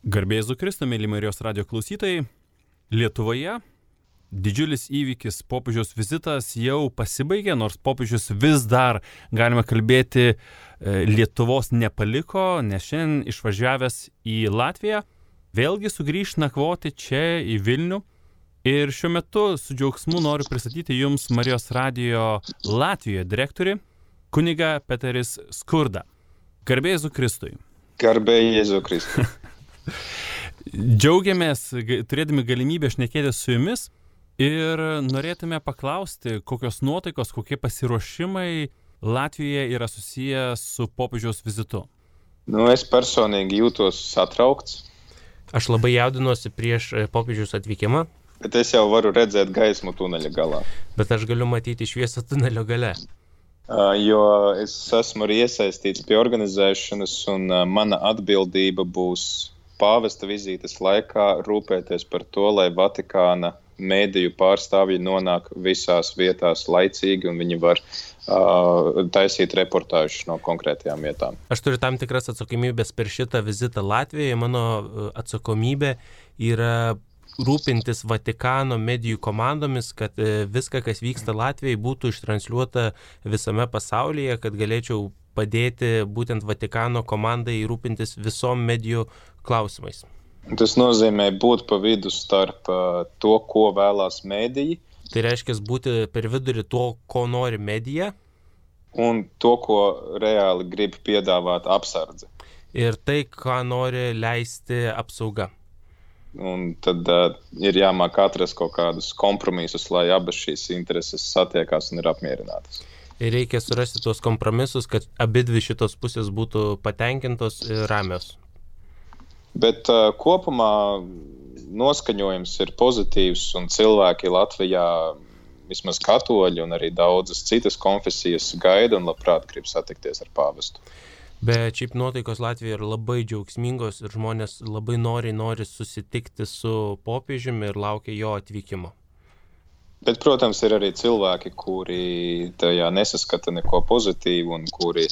Garbė Jėzui Kristui, mėly Marijos radijo klausytojai, Lietuvoje didžiulis įvykis, popiežiaus vizitas jau pasibaigė, nors popiežius vis dar, galime kalbėti, Lietuvos nepaliko, nes šiandien išvažiavęs į Latviją, vėlgi sugrįš nakvoti čia į Vilnių. Ir šiuo metu su džiaugsmu noriu pristatyti jums Marijos radijo Latvijoje direktorių, kunigą Peteris Skurda. Garbė Jėzui Kristui. Garbė Jėzui Kristui. Džiaugiamės turėdami galimybę šnekėti su jumis ir norėtume paklausti, kokios nuotaikos, kokie pasiruošimai Latvijoje yra susiję su popiežiaus vizitu. Es personīgi jūtos satraukts. Aš labai jaudinuosi prieš popiežiaus atvykimą. Bet es jau varu redzēt gaismu tuneļa galā. Bet aš galiu matyti šviesą tunelio gale. Jo es esmu arī iesaistīts pie organizēšanas un mana atbildība būs pāvesta vizītes laikā rūpēties par to, lai Vatikāna mēdīju pārstāvji nonāk visās vietās laicīgi un viņi var taisīt reportāžus no konkrētajām vietām. Aš turiu tam tikras atsakomybės per šitą vizitą Latvijoje. Mano atsakomybė yra rūpintis Vatikano medijų komandomis, kad viską, kas vyksta Latvijai, būtų ištransliuota visame pasaulyje, kad galėčiau padėti būtent Vatikano komandai rūpintis visom medijų klausimais. Tas nozīmē būt pa vidu starp to, ko vēlās mēdīji. Tai reiškia būti per vidurį to, ko nori medija. Un to, ko reāli grib piedāvāt apsardze. Ir tai, ką nori leisti apsauga. Un tad ir jāmāk atrast kaut kādus kompromisus, lai abas šīs intereses satiekās un ir apmierinātas. Ir reikia surasti tos kompromisus, kad abidvi šitos pusės būtų patenkintos ir ramios. Bet kopumā noskaņojums ir pozitīvs un cilvēki Latvijā, vismaz katoļi un arī daudzas citas konfesijas gaida un labprāt grib satikties ar pāvestu. Bet šiaip nuotaikos Latvijoje yra labai džiaugsmingos ir žmonės labai nori susitikti su popiežiumi ir laukia jo atvykimo. Bet, protams, ir arī cilvēki, kuri tajā nesaskata neko pozitīvu un kuri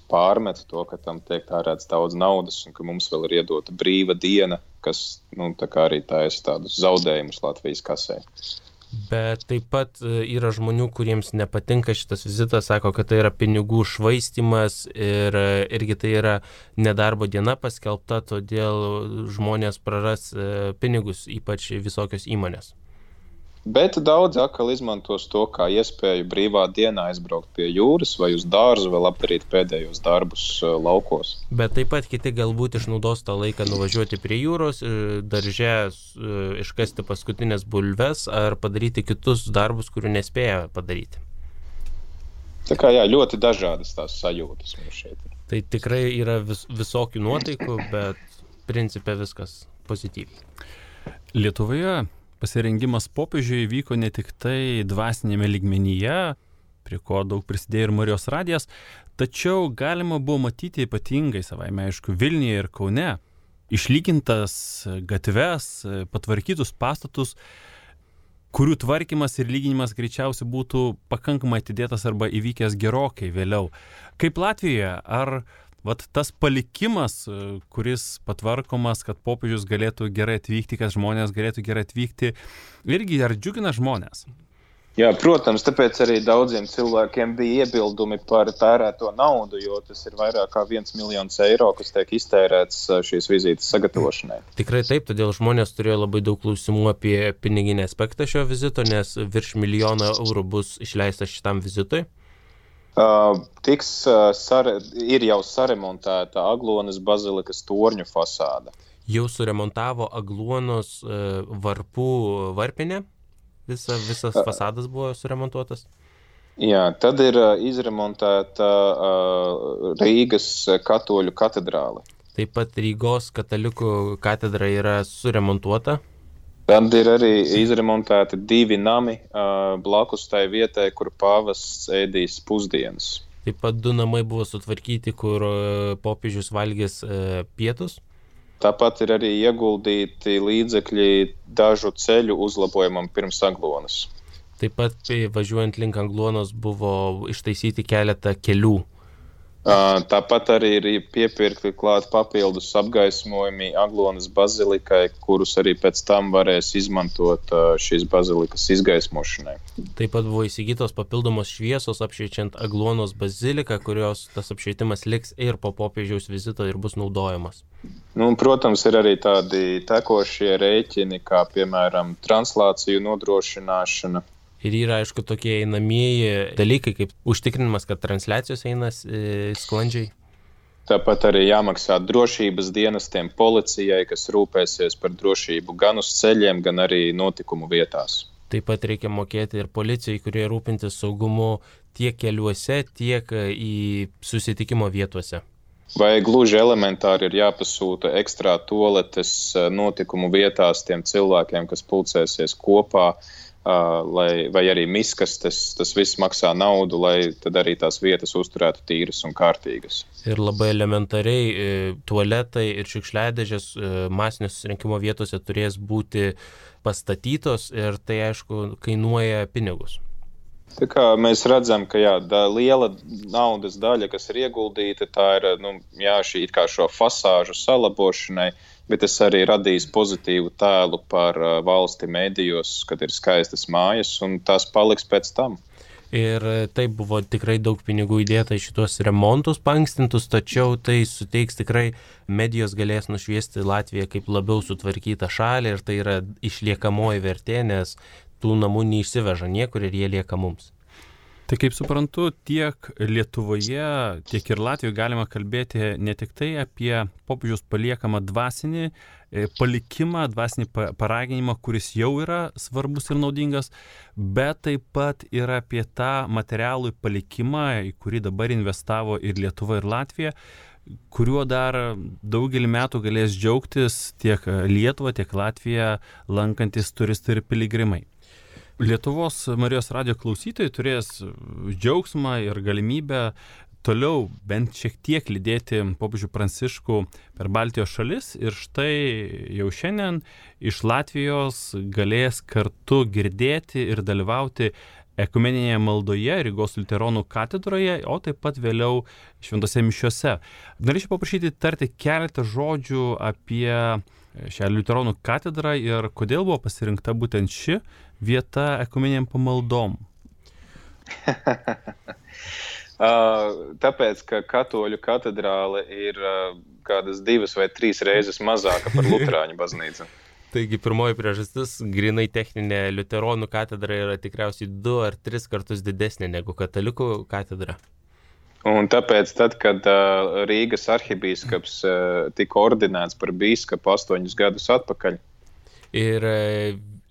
pārmet to, ka tam tiek tērēts daudz naudas un ka mums vēl ir iedota brīva diena, kas tā kā arī taisa tādus zaudējumus Latvijas kasē. Bet taip pat yra žmonių, kuriems nepatinka šitas vizitas, sako, kad tai yra pinigų švaistymas ir irgi tai yra nedarbo diena paskelbta, todėl žmonės praras pinigus, ypač visokios įmonės. Bet daudz atkal izmantos to kā iespēju brīvā dienā aizbraukt pie jūras vai uz dārzu vēl apdarīt pēdējos darbus laukos. Bet taip pat kiti galbūt išnaudos tą laiką nuvažiuoti prie jūros, darže iškasti paskutinės bulves ar padaryti kitus darbus, kurių nespėja padaryti. Tā kā ļoti dažādas tās sajūtas mums šeit. Tai tikrai yra visokių nuotaikų, bet principe viskas pozityviai. Lietuvoje pasirengimas popiežiui vyko ne tik tai dvasinėme lygmenyje, prie ko daug prisidėjo ir Marijos radijas, tačiau galima buvo matyti ypatingai savaime, aišku, Vilniuje ir Kaune išlygintas gatves, patvarkytus pastatus, kurių tvarkymas ir lyginimas greičiausiai būtų pakankamai atidėtas arba įvykęs gerokai vėliau. Kaip Latvijoje, ar tas palikimas, kuris patvarkomas, kad popiežius galėtų gerai atvykti, kad žmonės galėtų gerai atvykti, irgi ar džiugina žmonės? Jā, protams, tāpēc arī daudziem cilvēkiem bija iebildumi par tērēto naudu, jo tas ir vairāk kā 1 miljons eiro, kas tiek iztērēts šīs vizītes sagatavošanai. Tikrai taip, todėl žmonės turėjo labai daug klausimų apie piniginį aspektą šio vizito, nes virš 1 milijono eurų bus išleista šitam vizitui. Ir jau saremontēta Aglonas bazilikas torņu fasāda. Jau suremontavo Aglonos varpų varpinę, visas fasadas buvo suremontuotas. Jā, tad ir izremontēta Rīgas katoļu katedrāle. Taip pat Rygos katalikų katedra yra suremontuota. Tad ir arī izremontēti 2 nami blakus tai vietai, kur pāvests ēdīs pusdienas. Taip pat 2 namai buvo sutvarkyti, kur popiežius valgys pietus. Tāpat ir arī ieguldīti līdzekļi dažu ceļu uzlabojumam pirms Aglonas. Taip pat važiuojant link Aglonos buvo ištaisyti keletą kelių. Tāpat arī ir piepirkti klāt papildus apgaismojumi Aglonas bazilikai, kurus arī pēc tam varēs izmantot šīs bazilikas izgaismošanai. Taip pat buvo įsigytos papildomos šviesos apšviečiant Aglonos baziliką, kurios tas apšvietimas liks ir po popiežiaus vizito ir bus naudojamas. Protams, ir arī tādi tekošie rēķini, kā piemēram translāciju nodrošināšana. Ir yra, aišku, tokie einamieji dalykai, kaip užtikrinimas, kad transliacijos eina sklandžiai. Tāpat arī jāmaksā drošības dienestiem, policijai, kas rūpēsies par drošību gan uz ceļiem, gan arī notikumu vietās. Taip pat reikia mokėti ir policijai, kurie rūpintis saugumu tiek keliuose, tiek į susitikimo vietose. Vai gluži elementāri ir jāpasūta ekstrā toaletes notikumu vietās tiem cilvēkiem, kas pulcēsies kopā, vai arī miskastes, tas viss maksā naudu, lai tad arī tās vietas uzturētu tīras un kārtīgas. Ir labai elementariai tualetai ir šiukšliadėžės masinio susirinkimo vietose turės būti pastatytos ir tai, aišku, kainuoja pinigus. Tā kā mēs redzam, ka liela naudas daļa, kas ir ieguldīta, tā ir šī it kā šo fasāžu salabošanai, bet tas arī radīs pozitīvu tēlu par valsti medijos, kad ir skaistas mājas, un tās paliks pēc tam. Ir taip buvo tikrai daug pinigų įdėta į šitos remontus pankstintus, tačiau tai suteiks tikrai medijos galės nušviesti Latviją kaip labiau sutvarkytą šalį ir tai yra išliekamoji vertė, nes tų namų neišsiveža niekur ir jie lieka mums. Tai kaip suprantu, tiek Lietuvoje, tiek ir Latvijoje galima kalbėti ne tik tai apie popiežiaus paliekamą dvasinį palikimą, dvasinį paraginimą, kuris jau yra svarbus ir naudingas, bet taip pat ir apie tą materialų palikimą, į kurį dabar investavo ir Lietuva, ir Latvija, kuriuo dar daugelį metų galės džiaugtis tiek Lietuva, tiek Latvija lankantis turistai ir piligrimai. Lietuvos Marijos radijo klausytojai turės džiaugsmą ir galimybę toliau bent šiek tiek lydėti popiežių Pranciškų per Baltijos šalis ir štai jau šiandien iš Latvijos galės kartu girdėti ir dalyvauti ekumeninėje maldoje Rygos liuteronų katedroje, o taip pat vėliau šventose mišiose. Norėčiau paprašyti tarti keletą žodžių apie šią liuteronų katedrą ir kodėl buvo pasirinkta būtent ši vieta ekumeniniam pamaldom. Tāpēc, ka katoļu katedrāle ir kādas 2 vai 3 reizes mazāka par luterāņu baznīcu. Taigi pirmoji priežastis, grinai techninė liuteronų katedra yra tikriausiai 2 ar 3 kartus didesnė negu katalikų katedra. Un tāpēc, tad, kad Rīgas arhibīskaps tika ordinēts par bīskapu 8 gadus atpakaļ. Ir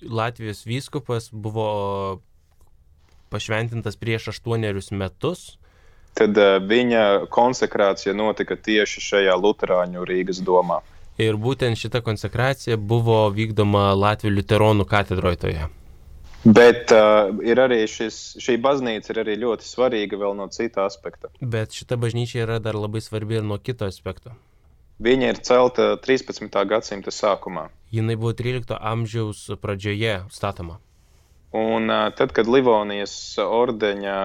Latvijos vyskupas buvo pašventintas prieš 8 metus. Tad viņa konsekrācija notika tieši šajā luterāņu Rīgas domā. Ir būtent šita konsekracija buvo vykdoma Latvijos liuteronų katedroje toje. Bet ir arī šī baznīca ir arī ļoti svarīga vēl no cita aspekta. Bet šita bažnyčia yra dar labai svarbi ir nuo kito aspekto. Viņa ir celta 13. gadsimta sākumā. Jinai buvo 13 amžiaus pradžioje statoma. Un tad, kad Livonijas ordeņa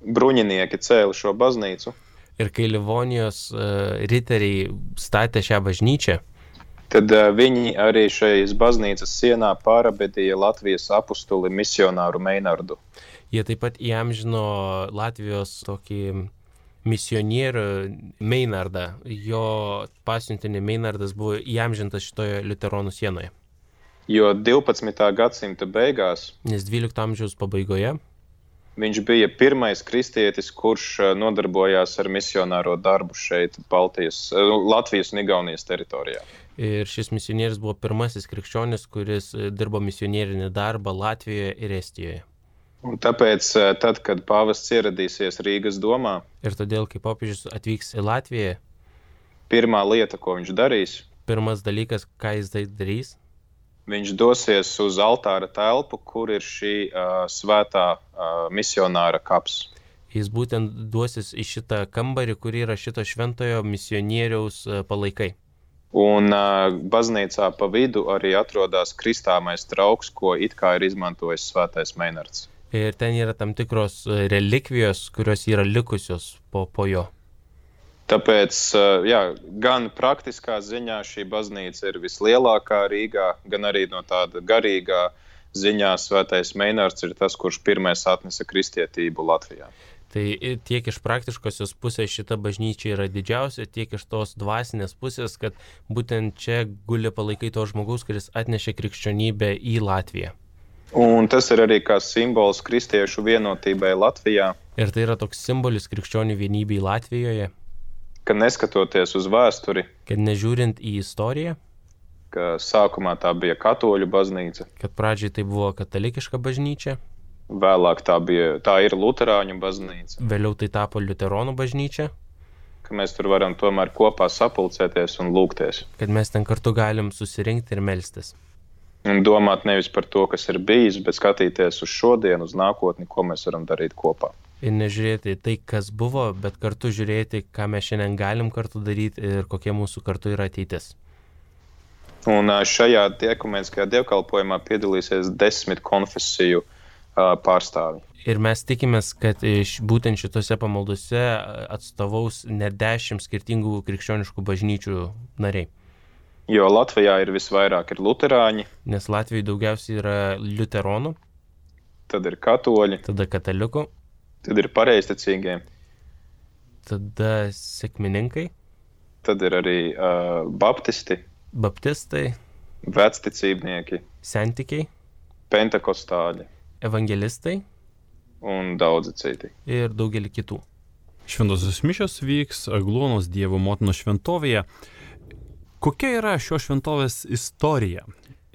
bruņinieki cēla šo baznīcu, ir kai Livonijos riteriai statė šią bažnyčią, tad viņi arī šajās baznīcas sienā pārabedīja Latvijas apostuli misionāru Meinardu. Jie taip pat įamžino Latvijos tokį misionierių Meinardą. Jo pasiuntinį Meinardas buvo įamžintas šitoje liuteronų sienoje. Jo 12. gadsimta beigās, nes 12 amžiaus pabaigoje, viņš bija pirmais kristietis, kurš nodarbojās ar misionāro darbu šeit Latvijas un Igaunijas teritorijā. Ir šis misionierius buvo pirmasis krikščionis, kuris dirbo misionierinį darbą Latvijoje ir Estijoje. Un tāpēc, tad, kad pāvests ieradīsies Rīgas domā, ir todėl, kai popiežius atvyks į Latviją, pirmā lieta, ko viņš darīs, pirmas dalykas, ką jis darys, viņš dosies uz altāra telpu, kur ir šī svētā misionāra kaps. Jis būtent duosis į šitą kambarį, kur yra šito šventojo misionieriaus palaikai. Un baznīcā pa vidu arī atrodas kristāmais trauks, ko it kā ir izmantojis svētais Meinards. Ir ten yra tam tikros relikvijos, kurios yra likusios po jo. Tāpēc, gan praktiskā ziņā šī baznīca ir vislielākā Rīgā, gan arī no tāda garīgā ziņā Svētais Meinārds ir tas, kurš pirmais atnesa kristietību Latvijā. Tai tiek iš praktiškosios pusės šita bažnyčia yra didžiausia, tiek iš tos dvasinės pusės, kad būtent čia guli palaikai to žmogaus, kuris atnešė krikščionybę į Latviją. Un tas ir arī kā simbols kristiešu vienotībai Latvijā. Ir tai yra toks simbolis krikščionių vienybei Latvijoje. Ka neskatoties uz vēsturi, kad nežiūrint į istoriją, ka sākumā tā bija katoļu baznīca, kad pradžiai tai buvo katalikiška bažnyčia, vēlāk tā ir luterāņu baznīca, vėliau tai tapo liuteronų bažnyčia, ka mēs tur varam tomēr kopā sapulcēties un lūgties. Kad mes ten kartu galim susirinkti ir melstis. Un domāt nevis par to, kas ir bijis, bet skatīties uz šodienu, uz nākotni, ko mēs varam darīt kopā. Ir nežiūrėti tai, kas buvo, bet kartu žiūrėti, ką mes šiandien galim kartu daryti ir kokie mūsų kartu yra ateitis. Un šajā ekumeniskajā dievkalpojumā piedalīsies 10 konfesiju pārstāvi. Ir mes tikimės, kad būtent šitose pamaldose atstovaus net 10 skirtingų krikščioniškų bažnyčių nariai. Jo Latvijā ir visvairāk ir luterāņi. Nes Latvijoje daugiausiai yra liuteronų. Tad ir katoļi. Tada katalikų. Tad ir pareizticīgie. Tada sekmininkai. Tad ir arī baptisti. Baptistai. Vecticībnieki. Sentikiai. Pentekostāļi. Evangelistai. Un daudzi citi. Ir daugelį kitų. Šventosios mišios vyks Agluonos Dievo motinos šventovėje. Kokia yra šios šventovės istorija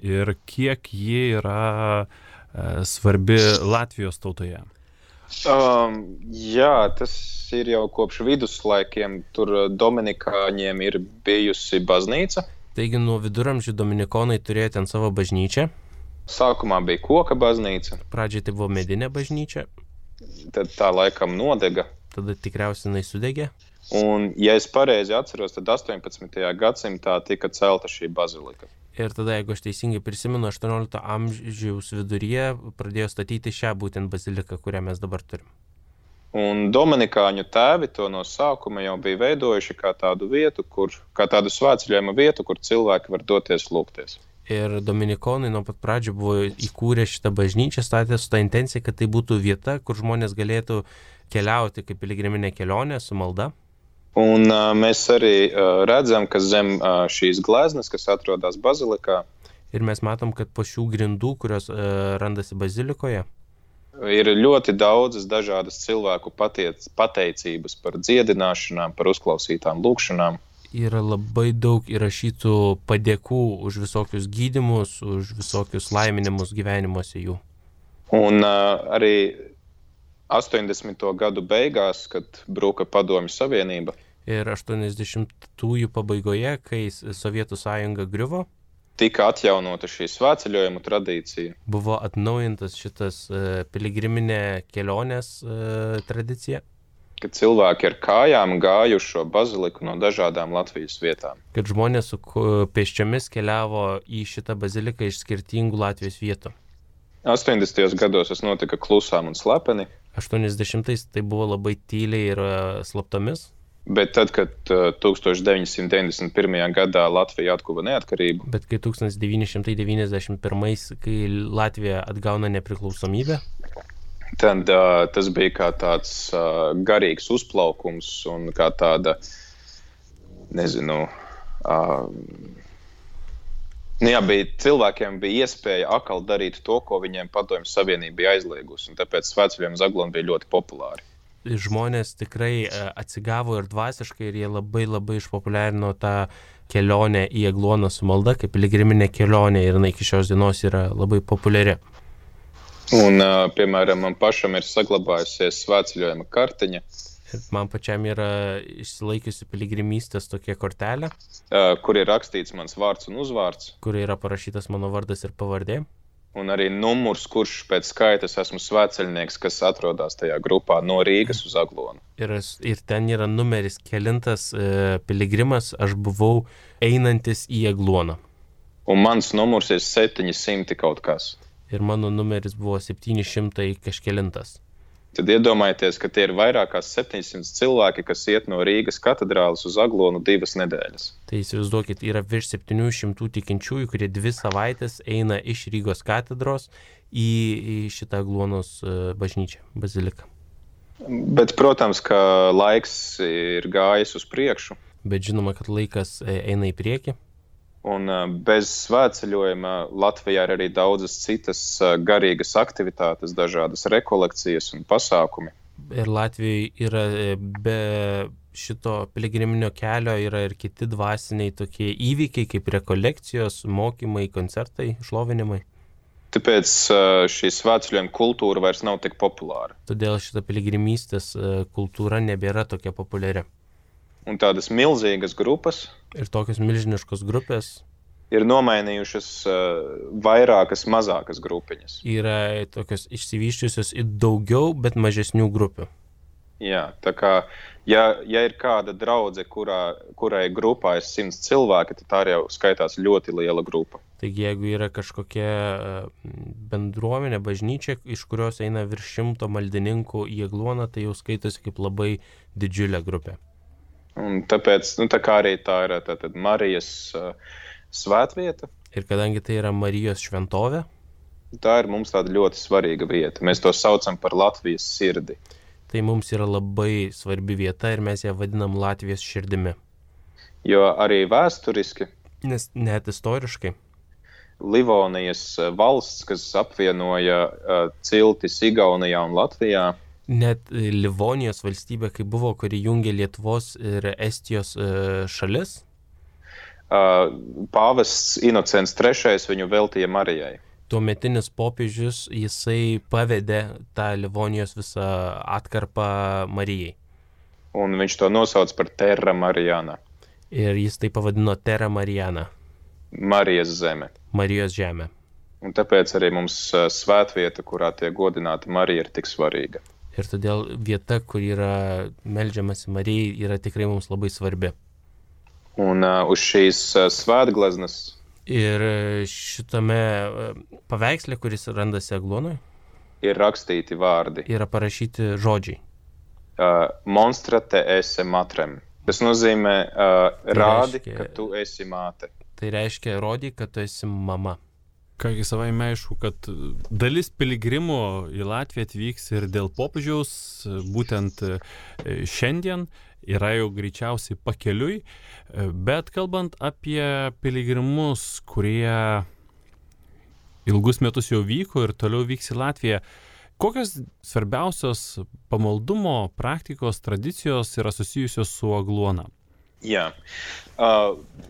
ir kiek ji yra svarbi Latvijos tautoje? Tas ir jau kopš viduslaikiem. Tur dominikāņiem ir bijusi baznīca. Taigi nuo viduramžių dominikonai turėjo ten savo bažnyčią. Sākumā bija koka baznīca. Pradžiai tai buvo medinė bažnyčia. Tad tā laikam nodega. Tada tikriausiai jinai sudegė. Un, ja es pareizi atceros, tad 18. gadsimtā tika celta šī bazilika. Ir tada, jeigu aš teisingai prisimenu, 18 amžiaus viduryje pradėjo statyti šią būtent baziliką, kurią mes dabar turim. Un dominikāņu tēvi to no sākuma jau bija veidojuši kā tādu vietu, kā tādu svētceļojuma vietu, kur cilvēki var doties lūgties. Ir dominikonai nuo pat pradžių buvo įkūrę šitą bažnyčią, statė su ta intencija, kad tai būtų vieta, kur žmonės galėtų keliauti kaip piligriminė kelionė su malda. Un mēs arī redzam, ka zem šīs gleznas, kas atrodas bazilikā, ir mēs matom, kad po šių grindų, kurios randasi bazilikoje, ir ļoti daudzas dažādas cilvēku pateicības par dziedināšanām, par uzklausītām lūkšanām. Yra labai daug įrašytų padėkų už visokius gydymus, už visokius laiminimus gyvenimuose jų. Un arī 80. gadu beigās, kad bruka Padomju Savienība. Ir 80-ųjų pabaigoje, kai Sovietų sąjunga griuvo, tika atjaunota šī svētceļojuma tradīcija. Buvo atnaujintas šitas piligriminė kelionės tradicija. Kad cilvēki ar kājām gājuši šo baziliku no dažādām Latvijas vietām. Kad žmonės su pėsčiomis keliavo į šitą baziliką iš skirtingų Latvijos vietų. 80. gados tas notika klusām un slepeni. 80-ais tai buvo labai tyliai ir slaptomis. Bet tad, kad 1991. gadā Latvija atguva neatkarību. Bet kai 1991, kai Latvija atgauna nepriklausomybę. Tad tas bija kā tāds garīgs uzplaukums un kā tāda, cilvēkiem bija iespēja atkal darīt to, ko viņiem Padomju Savienība bija aizliegusi, un tāpēc svētceļojumi uz Aglonu bija ļoti populāri. Žmonės tikrai atsigavo ir dvasiškai, ir jie labai išpopuliarino tą kelionę į Agluoną su malda, kaip piligriminė kelionė, ir iki šios dienos yra labai populiari. Un, piemēram, man pašam ir saglabājusies svētceļojuma kartiņa. Man pačiam yra išsilaikiusi piligrimystės tokia kortelė, kur ir rakstīts mans vārds un uzvārds. Kur yra parašytas mano vardas ir pavardė. Un arī numurs, kurš pēc skaitas esmu svētceļnieks, kas atrodas tajā grupā no Rīgas uz Aglonu. Ir ten yra numeris kelintas piligrimas, aš buvau einantis į Agluoną. Un mans numurs ir 700 kaut kas. Ir mano numeris buvo 700 kažkelintas. Tad iedomājieties, ka tie ir vairāk kā 700 cilvēki, kas iet no Rīgas katedrāles uz Aglonu 2 nedēļas. Tai įsivaizduokit, yra virš 700 tikinčiųjų, kurie 2 savaitės eina iš Rygos katedros į šitą Aglonos bažnyčią, baziliką. Bet, protams, ka laiks ir gājis uz priekšu. Bet žinoma, kad laikas eina į priekį. Un bez svētceļojuma Latvijā ir arī daudzas citas garīgas aktivitātes, dažādas rekolekcijas un pasākumi. Ir Latvijoje yra be šito piligriminio kelio yra ir kiti dvasiniai tokie įvykiai kaip rekolekcijos, mokymai, koncertai, šlovinimai. Tāpēc šī svētceļojuma kultūra vairs nav tik populāra. Todėl šita piligrimystės kultūra nebėra tokia populiari. Un tādas milzīgas grupas ir tokios milžiniškos grupės ir nomainījušas vairākas mazākas grupiņas. Yra tokios išsivysčiusios į daugiau, bet mažesnių grupių. Jā, tā kā, ja ir kāda draudze, kurai grupā ir 100 cilvēki, tad tā jau skaitās ļoti liela grupa. Taigi, jeigu yra kažkokia bendruomenė, bažnyčia, iš kurios eina virš 100 maldininkų į Agloną, tai jau skaitosi kaip labai didžiulė grupė. Un tāpēc, tā kā arī tā ir tātad Marijas svētvieta. Ir kadangi tai yra Marijos šventovė, tā ir mums tāda ļoti svarīga vieta. Mēs to saucam par Latvijas sirdi. Tai mums yra labai svarbi vieta ir mes ją vadinam Latvijos širdimi. Jo arī vēsturiski, nes net istoriškai, Livonijas valsts, kas apvienoja ciltis Igaunijā un Latvijā, net Livonijos valstybė, kai buvo, kuri jungė Lietuvos ir Estijos šalis, pāvests Inocens III viņu veltīja Marijai. Tuometinis popiežius, jisai pavedė tą Livonijos visą atkarpą Marijai. Un viņš to nosauc par Terra Mariana. Ir jis tai pavadino Terra Mariana. Marijas zeme. Marijos žemė. Un tāpēc arī mums svētvieta, kurā tiek godināta Marija, ir tik svarīga. Ir todėl vieta, kur yra meldžiamasi Marijai, yra tikrai mums labai svarbi. Un uz šīs svētgleznas ir šitame paveiksle, kuris randasi Aglonoj, ir rakstīti vārdi. Yra parašyti žodžiai. Monstra te esi matrem. Tas nozīmē rādi, ka tu esi māte. Tai reiškia rodi, kad tu esi mama. Kągi savaime aišku, kad dalis piligrimų į Latviją atvyks ir dėl popiežiaus, būtent šiandien yra jau greičiausiai pakeliui, bet kalbant apie piligrimus, kurie ilgus metus jau vyko ir toliau vyks į Latviją, kokios svarbiausios pamaldumo praktikos tradicijos yra susijusios su Aglona? Jā,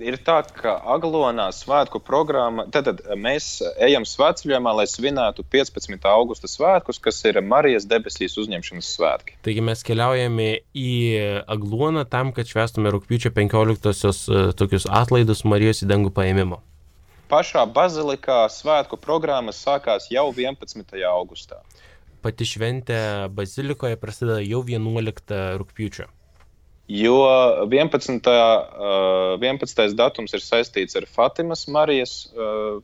ir tā, ka Aglonā svētku programma, tad mēs ejam svētceļojumā, lai svinētu 15. augusta svētkus, kas ir Marijas debesīs uzņemšanas svētki. Taigi mes keliaujame į Agloną tam, kad švęstume rugpjūčio 15-osios tokius atlaidus Marijos į dangų paėmimo. Pašā bazilikā svētku programma sākās jau 11. augustā. Pati šventė bazilikoje prasideda jau 11 rugpjūčio. Jo 11. datums ir saistīts ar Fatimas Marijas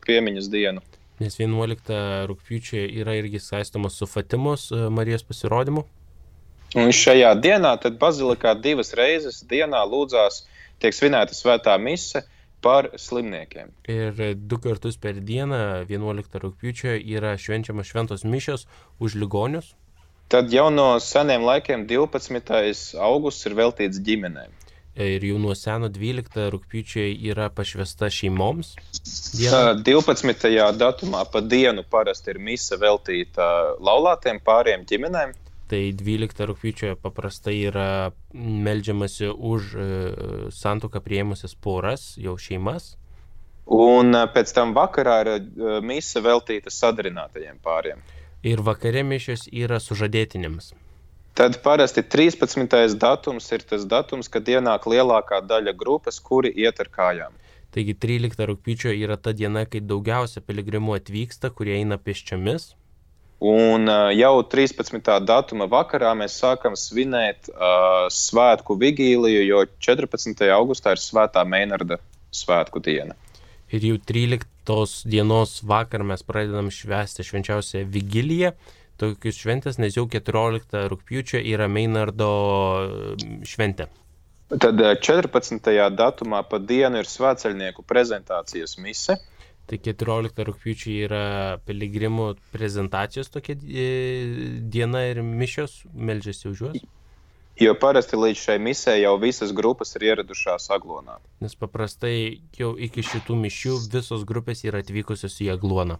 piemiņas dienu. Nes 11 rugpjūčio yra irgi saistomas su Fatimos Marijos pasirodymu. Un šajā dienā tad bazilikā 2 reizes dienā lūdzās tiek svinēta svētā mise par slimniekiem. Ir 2 kartus per dieną 11 rugpjūčio yra švenčiamas šventos mišios už ligonius. Tad jau no seniem laikiem 12. augusts ir veltīts ģimenēm. Ir jau nuo seno 12 rugpjūčio yra pašvesta šeimoms. 12. datumā pa dienu parasti ir mise veltīta laulātiem pāriem ģimenēm. Tai 12 rugpjūčio paprastai yra meldžiamasi už santuoką priėmusias poras, jau šeimas. Un pēc tam vakarā ir mise veltīta sadarinātajiem pāriem. Ir vakare mišios yra sužadėtinėms. Tad parasti 13. datums ir tas datums, kad ienāk lielākā daļa grupas, kuri iet ar kājām. Taigi 13 rugpjūčio yra ta diena, kai daugiausia piligrimų atvyksta, kurie eina pėsčiomis. Un jau 13. datuma vakarā mēs sākam svinēt svētku vigīliju, jo 14. augustā ir svētā Meinarda svētku diena. Ir jau 13 tos dienos vakar mes pradedam švęsti švenčiausią vigiliją. Tokius šventės, nes jau 14 rugpjūčio yra Meinardo šventė. Tad 14. datumā pa dienu ir svētceļnieku prezentācijas mise. Tai 14 rugpjūčio yra piligrimų prezentacijos tokia diena ir mišios, meldžiasi už juos. Jo parasti līdz šai misē jau visas grupas ir ieradušās Aglonā. Nes paprastai jau iki šitų mišių visos grupės yra atvykusios į Agloną.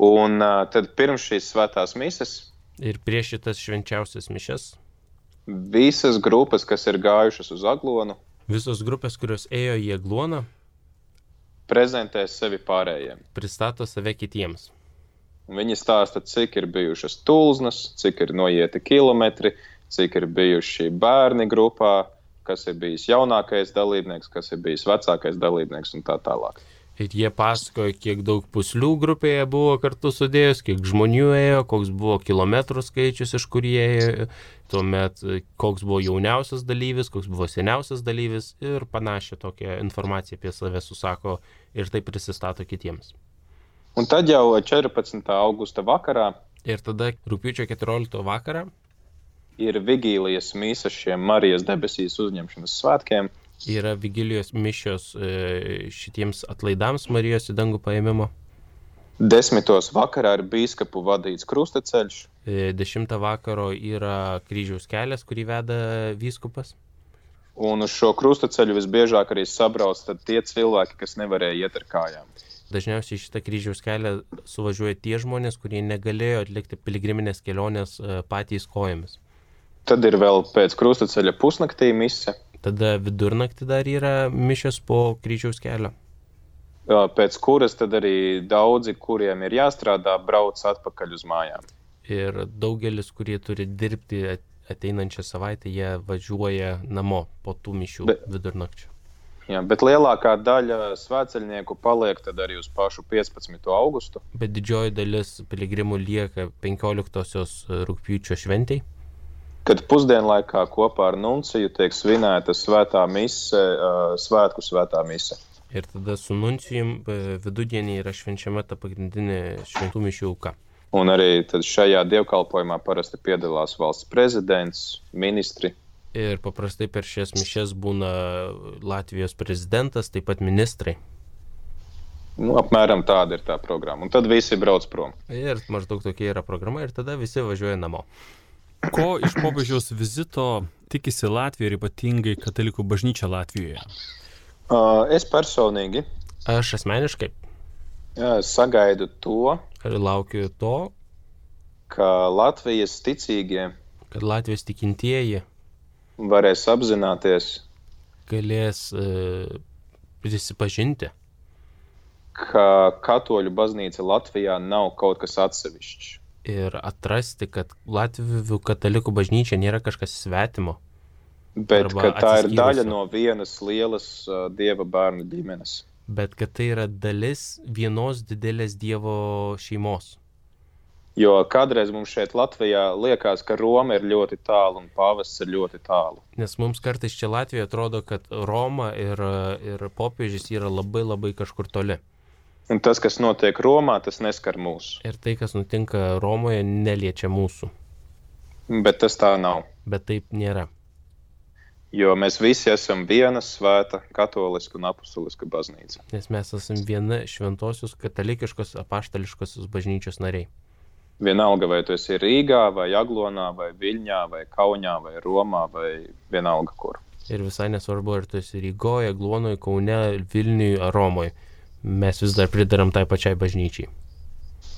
Un tad pirms šīs svētās mises Ir prieš šitas švenčiausias mišes visas grupas, kas ir gājušas uz Aglonu, visos grupės, kurios ėjo į Agloną, prezentē sevi pārējiem. pristato save kitiems. Viņi stāsta, cik ir bijušas tulznas, cik ir noieti kilometri, cik ir bijuši bērni grupā, kas ir bijis jaunākais dalībnieks, kas ir bijis vecākais dalībnieks un tā tālāk. Ir jie pasakoja, kiek daug puslių grupėje buvo kartu sudėjus, kiek žmonių ėjo, koks buvo kilometrų skaičius, iš kur jie ėjo, tuomet koks buvo jauniausias dalyvis, koks buvo seniausias dalyvis ir panašią tokią informaciją apie save susako ir taip prisistato kitiems. Un tad jau 14. augusta vakarā Ir tada rugpjūčio 14 vakarā ir vigīlijas mīsa šiem Marijas debesīs uzņemšanas svētkiem. yra vigilijos mišios šitiems atlaidams Marijos į dangų paėmimo. 10. vakarā ir bīskapu vadīts krustaceļš. 10 vakaro yra kryžiaus kelias, kurį veda vyskupas. Un uz šo krustaceļu visbiežāk arī sabrauc tad tie cilvēki, kas nevarēja iet ar kājām. Dažniausiai šitą kryžiaus kelią suvažiuoja tie žmonės, kurie negalėjo atlikti piligriminės kelionės patys kojomis. Tad ir vēl pēc krustaceļa pusnaktī mise. Tada vidurnaktį dar yra mišios po kryžiaus kelio. Pēc kuras tad arī daudzi, kuriem ir jāstrādā, brauc atpakaļ uz mājām. Ir daugelis, kurie turi dirbti ateinančią savaitę, jie važiuoja namo po tų mišių vidurnakčio. Jā, bet lielākā daļa svētceļnieku paliek tad arī uz pašu 15. augustu. Bet didžioji dalis piligrimų lieka 15 rugpjūčio šventei, Kad pusdienlaikā kopā ar nunciju tiek svinēta svētā mise, svētku svētā mise. ir tada su nuncijum vidudienį yra švenčiama ta pagrindinė šventų mišių auka. Un arī tad šajā dievkalpojumā parasti piedalās valsts prezidents, ministri. Ir paprastai per šias mišes būna Latvijos prezidentas, taip pat ministrai. Apmēram tāda ir tā programma. Un tad visi brauc prom. Ir maždaug tokia yra programa ir tada visi važiuoja namo. Ko iš popiežiaus vizito tikisi Latvija ir ypatingai katalikų bažnyčia Latvijoje? Es personīgi Aš asmeniškai sagaidu to, laukiu to, ka Latvijas ticīgie kad Latvijos tikintieji varēs apzināties, galės prisipažinti, ka katoļu baznīca Latvijā nav kaut kas atsevišķs. ir atrasti, kad Latvių katalikų bažnyčia nėra kažkas svetimo, Bet Arba ka tā ir atsiskyrusi. daļa no vienas lielas Dieva bērnu ģimenes. bet kad tai yra dalis vienos didelės Dievo šeimos. Jo kādreiz mums šeit Latvijā liekas, ka Roma ir ļoti tālu un pāvests ir ļoti tālu. Nes mums kartais čia Latvijoje atrodo, kad Roma ir popiežius yra labai labai kažkur toli. Un tas, kas notiek Romā, tas neskar mūs. Ir tai, kas nutinka Romoje, neliečia mūsų. Bet tas tā nav. Bet taip nėra. Jo mēs visi esam viena svēta, katoliska un apustuliska baznīca. Nes mes esame viena šventosios katalikiškos apaštališkosios bažnyčios nariai. Vienalga, vai tu esi Rīgā, vai Aglonā, vai Viļņā, vai Kaunijā, vai Romā, vai vienalga kur. Ir visai nesvarbu, ar tu esi Rygoje, Aglonoje, Kaune, Vilniuje ar Romoje. Mes vis dar pridaram tai pačiai bažnyčiai.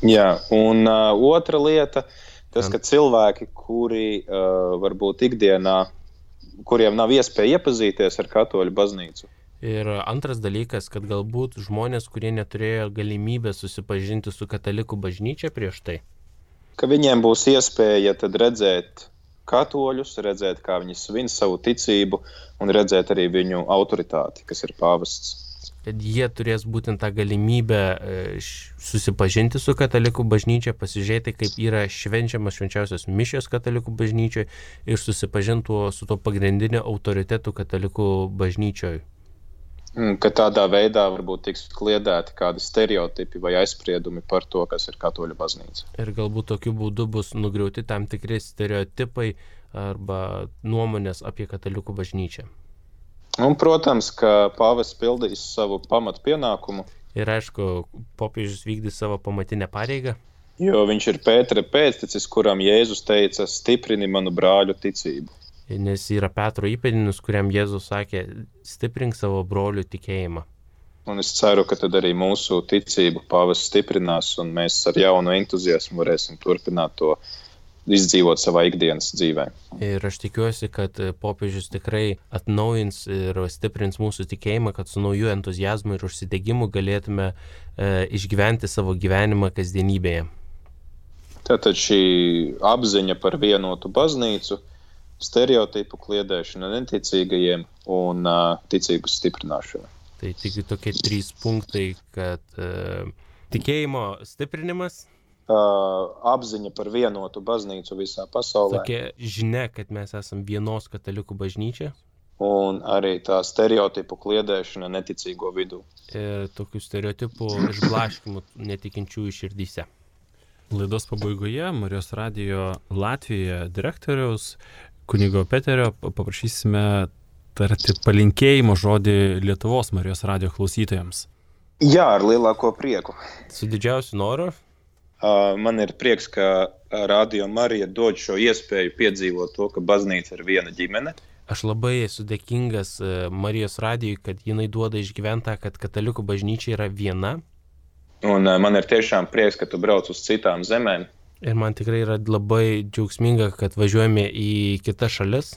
Jā, un otra lieta, tas, ka cilvēki, kuri varbūt ikdienā, kuriem nav iespēja iepazīties ar katoļu baznīcu, Ir antras dalykas, kad galbūt žmonės, kurie neturėjo galimybę susipažinti su katalikų bažnyčia prieš tai, ka viņiem būs iespēja tad redzēt katoļus, redzēt, kā viņi svin savu ticību un redzēt arī viņu autoritāti, kas ir pāvests. kad jie turės būtent tą galimybę susipažinti su katalikų bažnyčia, pasižiūrėti, kaip yra švenčiamas švenčiausios mišios katalikų bažnyčioje ir susipažinti su to pagrindinio autoritetu katalikų bažnyčioje. Ka tādā veidā varbūt tiks kliedēti kādi stereotipi vai aizspriedumi par to, kas ir katoļu baznīca. Ir galbūt tokiu būdu bus nugriauti tam tikri stereotipai arba nuomonės apie katalikų bažnyčią. Un, protams, ka pāvests pildīs savu pamatu pienākumu. Ir aišku, popiežius vykdys savo pamatinę pareigą. Jo viņš ir Pētera pēctecis, kuram Jēzus teica, stiprini manu brāļu ticību. Nes yra Petro įpėdinis, kuriam Jėzus sakė, stiprink savo brolių tikėjimą. Un es ceru, ka tad arī mūsu ticību pāvests stiprinās, un mēs ar jaunu entuziasmu varēsim turpināt to izdzīvot savā ikdienas dzīvē. Ir aš tikiuosi, kad popiežius tikrai atnaujins ir stiprins mūsų tikėjimą, kad su nauju entuziazmu ir užsidegimu galėtume išgyventi savo gyvenimą kasdienybėje. Tātad šī apziņa par vienotu baznīcu, stereotipu kliedēšana neticīgajiem un ticības stiprināšana. Tai tik tokie 3 punktai, kad tikėjimo stiprinimas, apziņa par vienotu baznīcu visā pasaulē. Tokia žinia, kad mes esam vienos katalikų bažnyčia. Un arī tā stereotipu kliedēšana neticīgo vidū. Ir tokių stereotipų išblaškimų netikinčiųjų širdyse. Laidos pabaigoje Marijos radijo Latvijoje direktoriaus kunigo Peterio paprašysime tarti palinkėjimo žodį Lietuvos Marijos radijo klausytojams. Jā, ar lielāko prieku. Su didžiausiu noru. Man ir prieks, ka Radio Marija dod šo iespēju piedzīvot to, ka baznīca ir viena ģimene. Aš labai esu dėkingas Marijos radijui, kad jinai duoda išgyventą, kad katalikų bažnyčia yra viena. Un man ir tiešām prieks, ka tu brauc uz citām zemēm. Ir man tikrai yra labai džiaugsminga, kad važiuojame į kitas šalis.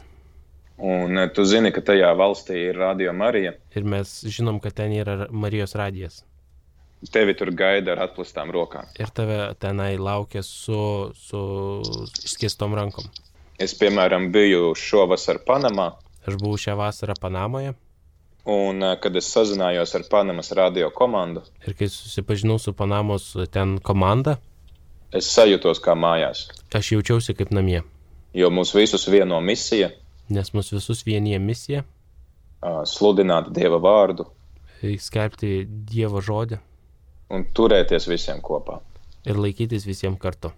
Un tu zini, ka tajā valstī ir Radio Marija. Ir mes žinom, kad ten yra Marijos radijas. Tevi tur gaida ar atplastām rokām. Ir tave tenai laukia su išskėstom rankom. Es, piemēram, biju šovasar Panamā. Aš buvau šią vasarą Panamoje. Un kad es sazinājos ar Panamas radio komandu. Ir kai susipažinau su Panamos ten komanda, es sajūtos kā mājās. Aš jaučiausi kaip namie. Jo mūs visus vieno misija. Nes mūs visus vienija misija. Sludināt Dieva vārdu. Skelbti Dievo žodį. Un turēties visiem kopā. Ir laikytis visiem kartu.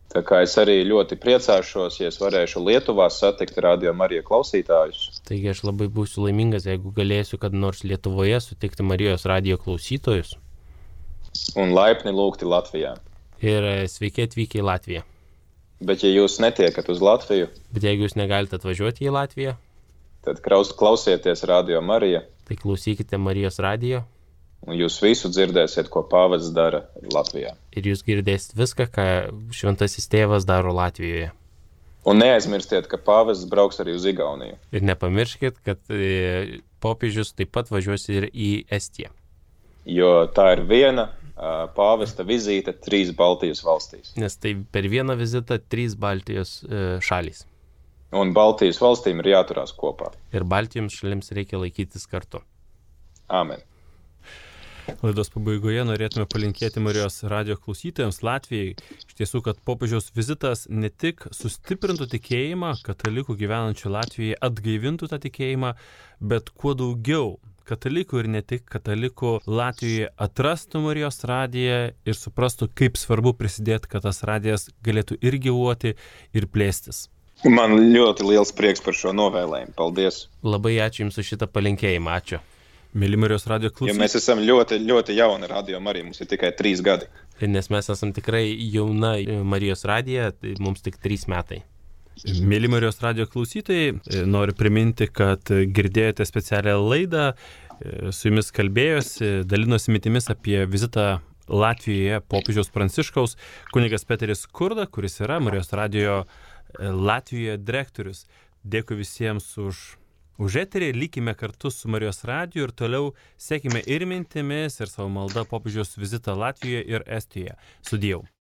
Tā kā es arī ļoti priecāšos, ja es varēšu Lietuvā satikt Radio Marija klausītājus. Taigi aš labai būsiu laimingas, jeigu galėsiu kad nors Lietuvoje sutikti Marijos radijo klausytojus. Un laipni lūgti Latvijā. Ir sveiki atvykę į Latviją. Bet ja jūs netiekat uz Latviju, bet jeigu jūs negalite atvažiuoti į Latviją, tad klausieties Radio Marija. Tai klausykite Marijos radijo. Un jūs visu dzirdēsiet, ko pāvests dara Latvijā. Ir jūs girdēsit viską, ką šventasis tėvas daro Latvijoje. Un neaizmirstiet, ka pāvests brauks arī uz Igauniju. Ir nepamirškit, kad popiežius taip pat važiuos ir į Estiją. Jo tā ir viena pāvesta vizīte 3 Baltijas valstīs. Nes tai per vieną vizitą 3 Baltijos šalys. Un Baltijas valstīm ir jāturās kopā. Ir Baltijos šalims reikia laikytis kartu. Amen. Laidos pabaigoje norėtume palinkėti Marijos radijo klausytojams Latvijai. Iš tiesų, kad popiežiaus vizitas ne tik sustiprintų tikėjimą, katalikų gyvenančių Latvijoje atgaivintų tą tikėjimą, bet kuo daugiau katalikų ir ne tik katalikų Latvijoje atrastų Marijos radiją ir suprastų, kaip svarbu prisidėti, kad tas radijas galėtų ir gyvuoti, ir plėstis. Man ļoti liels prieks par šo novēlējumu. Paldies! Labai ačiū Jums už šitą palinkėjimą. Ačiū. Mėly Marijos radijo klausytojai. Jo mēs esam ļoti jauna Radio Marija, mums ir tikai 3 gadi. Nes mes esam tikrai jauna Marijos radija, tai mums tik 3 metai. Mėly Marijos radijo klausytojai, noriu priminti, kad girdėjote specialią laidą, su jumis kalbėjosi, dalinosi mintimis apie vizitą Latvijoje popiežiaus Pranciškaus kunigas Peteris Kurda, kuris yra Marijos radijo Latvijoje direktorius. Dėkui visiems už eterį, likime kartu su Marijos radiju ir toliau sekime ir mintimis, ir savo maldą popiežiaus vizitą Latvijoje ir Estijoje. Sudieu.